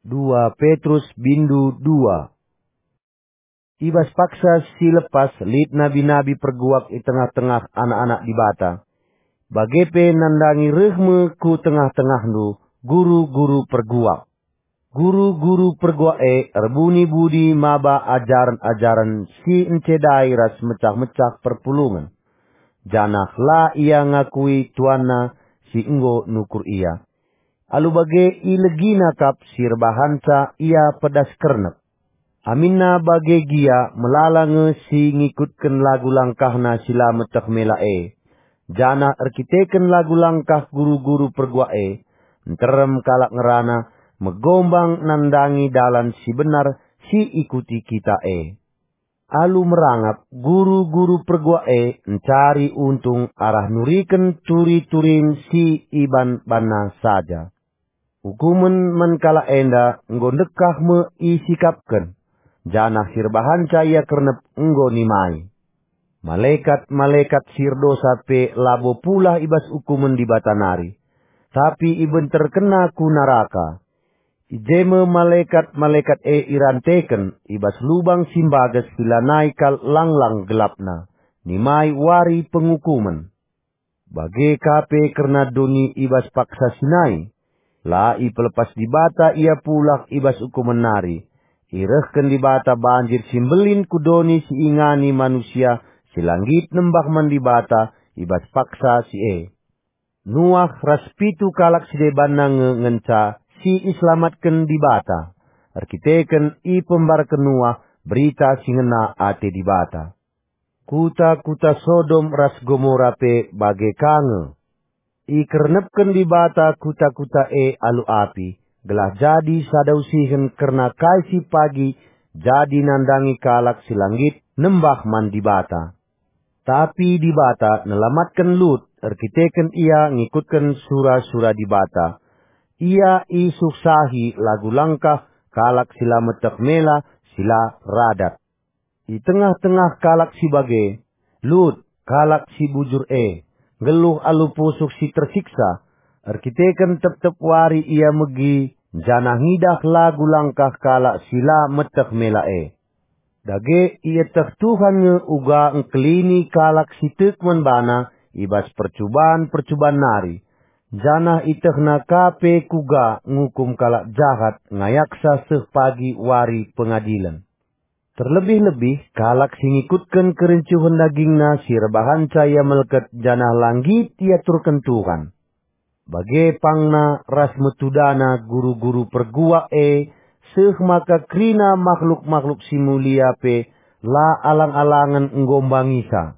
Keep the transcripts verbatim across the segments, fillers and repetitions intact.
Dua Petrus bindu dua. I bas paksa si lepas lit nabi-nabi perguak i tengah-tengah anak-anak Dibata. Bage pe nandangi reh me ku tengah-tengahndu guru-guru perguak. Guru-guru perguak e erbuni budi maba ajaren-ajaren si encedai ras mecah-mecah perpulungen, janah la ia ngakui tuanna si enggo nukur ia. Alu bage ilegina kap si erbahanca ia pedas kernep. Aminna bage gia melala nge si ngikutken lagu langkahna si la meteh mela e. Janah erkiteken lagu langkah guru-guru perguak e, nterem kalak ngerana megombang nandangi dalan si benar si ikuti kita e. Alu merangap, guru-guru perguak e ncari untung arah nuriken turi-turin si iban-banna saja. Ukumen man kalak enda enggo ndekah me isikapken, janah si erbahanca ia kernep enggo nimai. Malekat-malekat si erdosa pe labo pulah i bas ukumen Dibata nari, tapi ibenterkenna ku naraka. I je me malekat-malekat e iranteken i bas lubang si mbages si lanai kal lang-lang gelapna, nimai wari pengukumen. Bage ka pe kerna doni i bas paksa Sinai. La ipelepas Dibata ia pulah i bas ukumen nari. Irehken Dibata banjir si mbelin ku doni si ingani manusia si la nggit nembah man Dibata i bas paksa si e. Nuah ras pitu kalak si debanna nge ngenca si iselamatken Dibata, erkiteken ipembarken Nuah berita si ngena ate Dibata. Kuta-kuta Sodom ras Gomora pe bage ka nge. Ikernepken Dibata kuta-kuta e alu api, gelah jadi sada usihen kerna kai si pagi jadi nandangi kalak si la nggit nembah man Dibata. Tapi Dibata nelamatken Lut erkiteken ia ngikutken sura-sura Dibata. Ia isuksahi lagu langkah kalak si la meteh mela, si la radat. I tengah-tengah kalak si bage, Lut, kalak si bujur e, nggeluh alu pusuh si tersiksa, erkiteken tep-tep wari ia megi janah ngidah lagu langkah kalak si la meteh mela e. Dage ieteh Tuhan nge uga engkelini kalak si tek man bana i bas percuban-percuban nari, janah ietehna ka pe kuga ngukum kalak jahat ngayaksa seh pagi wari pengadilen. Terlebih-lebih kalak si ngikutken kerincuhen dagingna si erbahanca ia melket janah la nggit iaturken Tuhan. Bage pangna ras metudana guru-guru perguak e, seh maka kerina makhluk-makhluk si mulia pe la alang-alangen enggo mbangisa.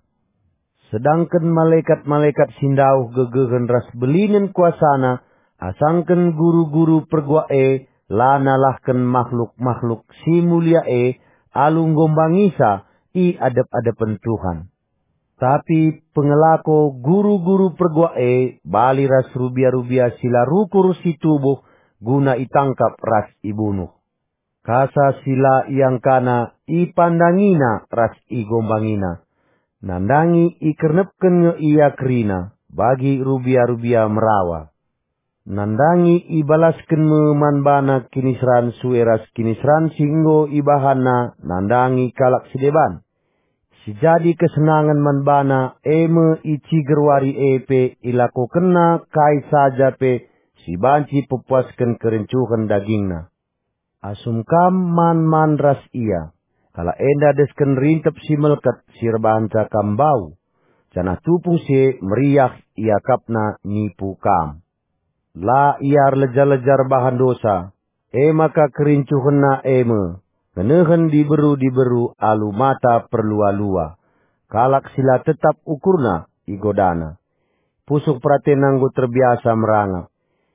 Sedangken malekat-malekat si ndauh gegehen ras belinen kuasana, asangken guru-guru perguak e la nalahken makhluk-makhluk si mulia e alu enggo mbangisa i adep-adepen Tuhan. Tapi pengelako guru-guru perguak e bali ras rubia-rubia si la rukur si tubuh guna itangkap ras ibunuh. Kasa si la iangkana ipandangina ras igombangina. Nandangi ikernepken nge ia kerina bagi rubia-rubia merawa. Nandangi ibalasken me man bana kiniseran sue ras kiniseran si enggo ibahanna nandangi kalak si deban. Si jadi kesenangen man bana e me i ciger wari e pe ilakokenna kai saja pe si banci pepuasken kerincuhen dagingna. Asum kam man-man ras ia, kalak enda desken rintep si melket si erbahanca kam mbau, janah tupung si e meriah iakapna nipu kam. La ia erleja-leja erbahan dosa, e maka kerincuhenna e me ngenehen diberu-diberu alu mata perlua-lua, kalak si la tetap ukurna igodana. Pusuh peratenna enggo terbiasa merangap.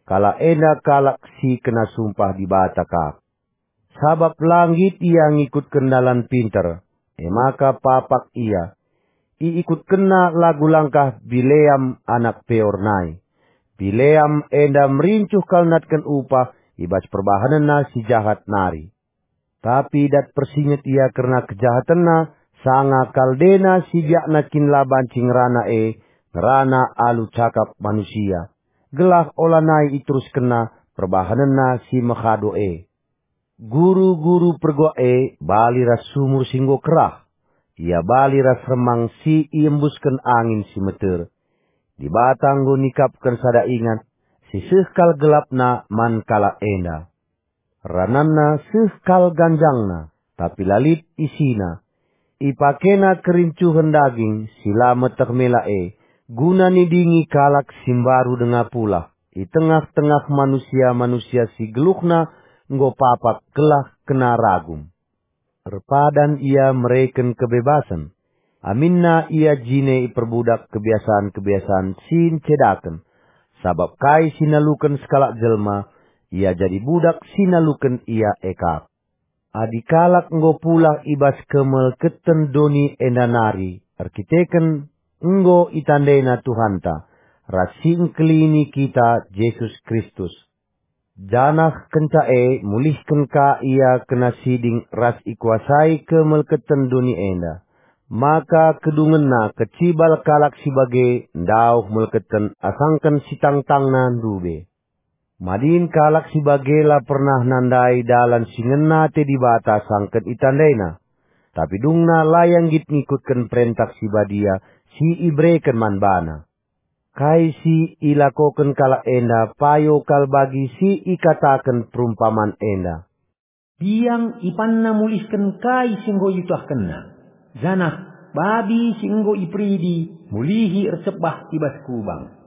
Kalak enda kalak si kena sumpah Dibata kap. Sabap la nggit ia ngikutken dalan pinter, e maka papak ia. Iikutkenna lagu langkah Bileam anak Peor nai. Bileam enda merincuh kal natken upah i bas perbahanenna si jahat nari. Tapi dat persinget ia kerna kejahatenna, sanga kal dena si biakna kin la banci ngerana e, ngerana alu cakap manusia, gelah olanai iteruskenna perbahanenna si mehado e. Guru-guru perguak e bali ras sumur si enggo kerah. Ia bali ras remang si iembusken angin si meter. Dibata enggo nikapken sada ingan si seh kal gelapna man kalak enda. Rananna seh kal ganjangna, tapi la lit isina. Ipakena kerincuhen daging si la meteh mela e, guna nidingi kalak si mbaru denga pulah i tengah-tengah manusia-manusia si geluhna enggo papak gelah kena ragum. Erpadan ia mereken kebebasen. Aminna ia jine iperbudak kebiasan-kebiasan si ncedaken. Sabap kai si naluken sekalak jelma, ia jadi budak si naluken ia e kap. Adi kalak enggo pulah i bas kemelketen doni enda nari, erkiteken enggo itandena Tuhanta, ras si engkelini kita Jesus Kristus. Janah kenca e mulihken ka ia kena siding ras ikuasai kemelketen doni enda. Maka kedungenna kecibal kalak si bage ndauh melketen asangken si tangtangna ndube. Madin kalak si bage la pernah nandai dalan si ngena ate Dibata asangken itandaina. Tapi dungna la ia nggit ngikutken perentah si badia si ibereken man bana. Kai si ilakoken kalak enda payo kal bagi si ikataken perumpaman enda. Biang ipanna mulihken kai si enggo iutahkenna, janah babi si enggo iperidi mulihi ercebah i bas kubang.